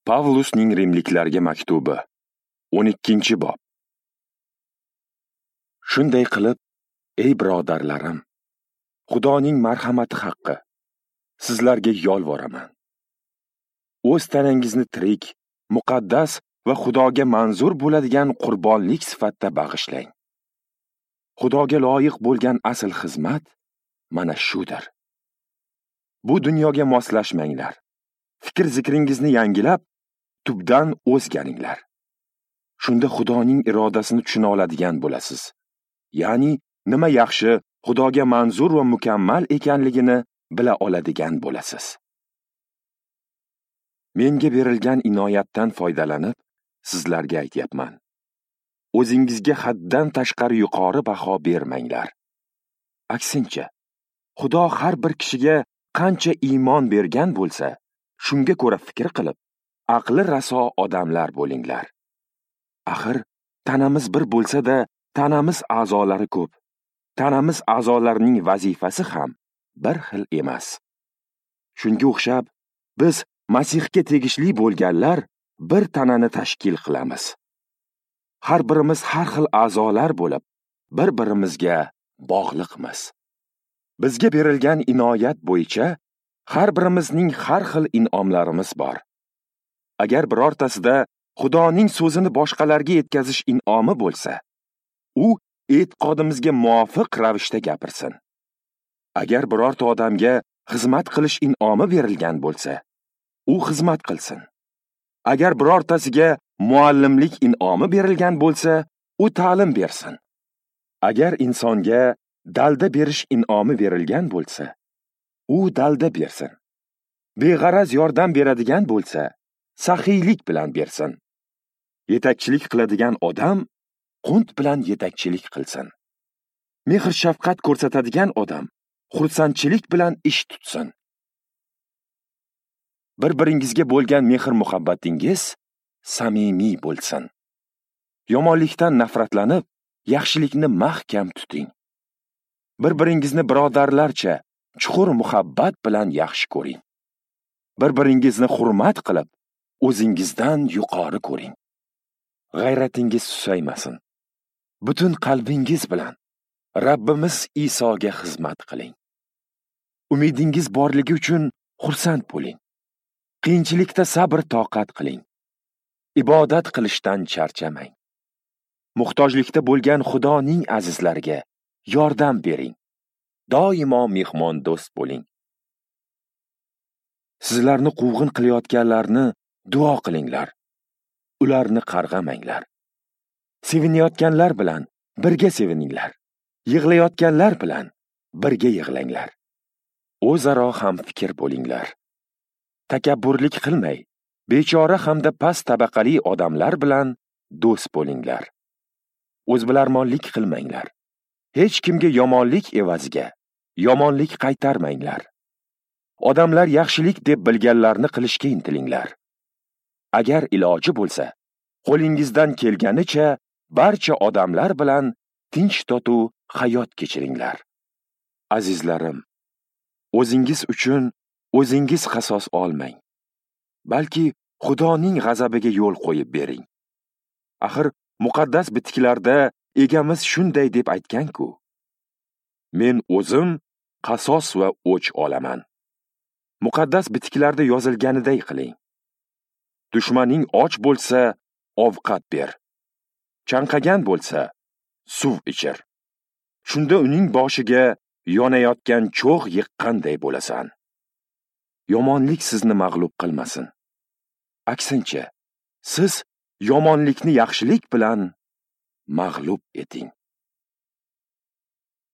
Pavlusning Rimliklarga maktubi, 12-bob. Shunday qilib, ey birodarlarim, Xudoning marhamati haqqi sizlarga yolvoraman. O'z tanangizni tirik, muqaddas va Xudoga manzur bo'ladigan qurbonlik sifatida bag'ishlang. Xudoga loyiq bo'lgan asl xizmat mana shudir. Bu dunyoga moslashmanglar. Fikr zikringizni yangilab, tubdan o'zgaringlar. Shunda Xudoning irodasini tushuna oladigan bo'lasiz. Ya'ni nima yaxshi, Xudoga manzur va mukammal ekanligini bila oladigan bo'lasiz. Menga berilgan inoyatdan foydalanib, sizlarga aytyapman. O'zingizga haddan tashqari yuqori baho bermanglar. Aksincha, Xudo har bir kishiga qancha iymon bergan bo'lsa, shunga ko'ra fikr qilib, aqli raso odamlar bo'linglar. Axir, tanamiz bir bo'lsa-da, tanamiz a'zolari ko'p. Tanamiz a'zolarining vazifasi ham bir xil emas. Shunga o'xshab, biz Masihga tegishli bo'lganlar bir tanani tashkil qilamiz. Har birimiz har xil a'zolar bo'lib, bir-birimizga bog'liqmiz. Bizga berilgan inoyat bo'yicha har birimizning har xil in'omlarimiz bor. Agar birortasida Xudoning so'zini boshqalarga yetkazish in'omi bo'lsa, u e'tiqodimizga muvofiq ravishda gapirsin. Agar birorta odamga xizmat qilish in'omi berilgan bo'lsa, u xizmat qilsin. Agar birortasiga muallimlik in'omi berilgan bo'lsa, u ta'lim bersin. Agar insonga dalda berish in'omi berilgan bo'lsa, u dalda bersin. Beg'araz yordam beradigan bo'lsa, saxiylik bilan bersin. Yetakchilik qiladigan odam qunt bilan yetakchilik qilsin. Mehr shafqat ko'rsatadigan odam xursandchilik bilan ish tutsin. Bir-biringizga bo'lgan mehr muhabbatingiz samimiy bo'lsin. Yomonlikdan nafratlanib, yaxshilikni mahkam tuting. Bir-biringizni birodarlarcha chuqur muhabbat bilan yaxshi ko'ring. Bir-biringizni hurmat qilib, o'zingizdan yuqori ko'ring. G'ayratingiz susaymasin. Butun qalbingiz bilan Rabbimiz Isoga xizmat qiling. Umidingiz borligi uchun xursand bo'ling. Qiyinchilikda sabr toqat qiling. Ibodat qilishdan charchamang. Muhtojlikda bo'lgan Xudoning azizlariga yordam bering. Doimo mehmondo'st bo'ling. Sizlarni quvg'in qilayotganlarni duo qilinglar. Ularni qarg'amanglar. Sevinayotganlar bilan birga sevininglar. Yig'layotganlar bilan birga yig'langlar. O'zaro ham fikr bo'linglar. Takabburlik qilmay, bechora hamda past tabaqali odamlar bilan do'st bo'linglar. O'zbilarmonlik qilmanglar. Hech kimga yomonlik evaziga yomonlik qaytarmanglar. Odamlar yaxshilik deb bilganlarni qilishga intilinglar. Agar iloji bo'lsa, qo'lingizdan kelganicha barcha odamlar bilan tinch totuv hayot kechiringlar. Azizlarim, o'zingiz uchun o'zingiz qasos olmang, balki Xudoning g'azabiga yo'l qo'yib bering. Axir muqaddas bitiklarda egamiz shunday deb aytgan-ku: Men o'zim qasos va o'ch olaman. Muqaddas bitiklarda yozilganiday qiling. Dushmaning och bo'lsa, ovqat ber. Chanqagan bo'lsa, suv ichir. Shunda uning boshiga yonayotgan cho'g' yiqqanday bo'lasan. Yomonlik sizni mag'lub qilmasin. Aksincha, siz yomonlikni yaxshilik bilan mag'lub eting.